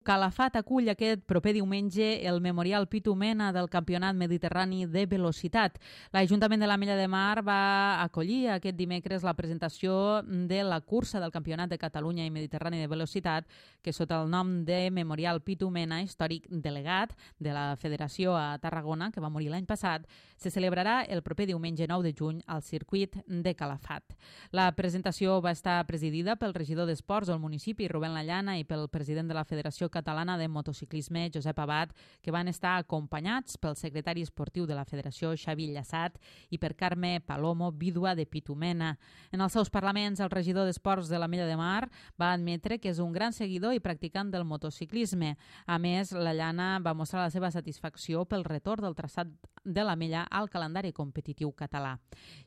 Calafat acull aquest proper diumenge el Memorial Pitu Mena del Campionat Mediterrani de Velocitat. L'Ajuntament de l'Ametlla de Mar va acollir aquest dimecres la presentació de la cursa del Campionat de Catalunya i Mediterrani de Velocitat, que sota el nom de Memorial Pitu Mena, històric delegat de la Federació a Tarragona, que va morir l'any passat, se celebrarà el proper diumenge 9 de juny al circuit de Calafat. La presentació va estar presidida pel regidor d'Esports del municipi, Rubén Lallana, i pel president de la Federació Catalana de Motociclisme, Josep Abad, que van estar acompanyats pel secretari esportiu de la Federació, Xavi Llassat, i per Carme Palomo, vídua de Pitu Mena. En els seus parlaments, el regidor d'Esports de l'Ametlla de Mar va admetre que és un gran seguidor i practicant del motociclisme. A més, Lallana va mostrar la seva satisfacció pel retorn del traçat de l'Ametlla al calendari competitiu català.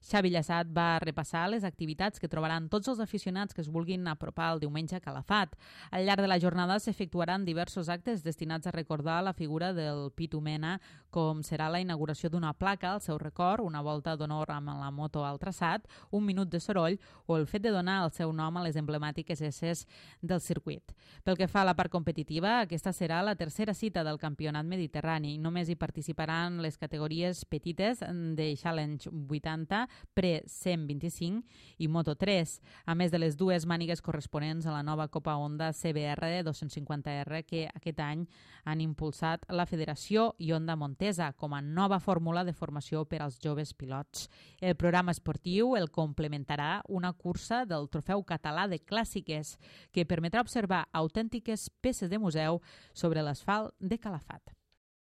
Xavi Llassat va repassar les activitats que trobaran tots els aficionats que es vulguin apropar el diumenge a Calafat. Al llarg de la jornada s'efectuaran diversos actes destinats a recordar la figura del Pitu Mena, com serà la inauguració d'una placa al seu record, una volta d'honor amb la moto al traçat, un minut de soroll o el fet de donar el seu nom a les emblemàtiques esses del circuit. Pel que fa a la part competitiva, aquesta serà la tercera cita del Campionat Mediterrani. Només hi participaran les categories petites de Challenge 80, Pre 125 i Moto 3, a més de les dues mànigues corresponents a la nova Copa Honda CBR 250R que aquest any han impulsat la Federació i Honda Montesa com a nova fórmula de formació per als joves pilots. El programa esportiu el complementarà una cursa del Trofeu Català de Clàssiques que permetrà observar autèntiques peces de museu sobre l'asfalt de Calafat.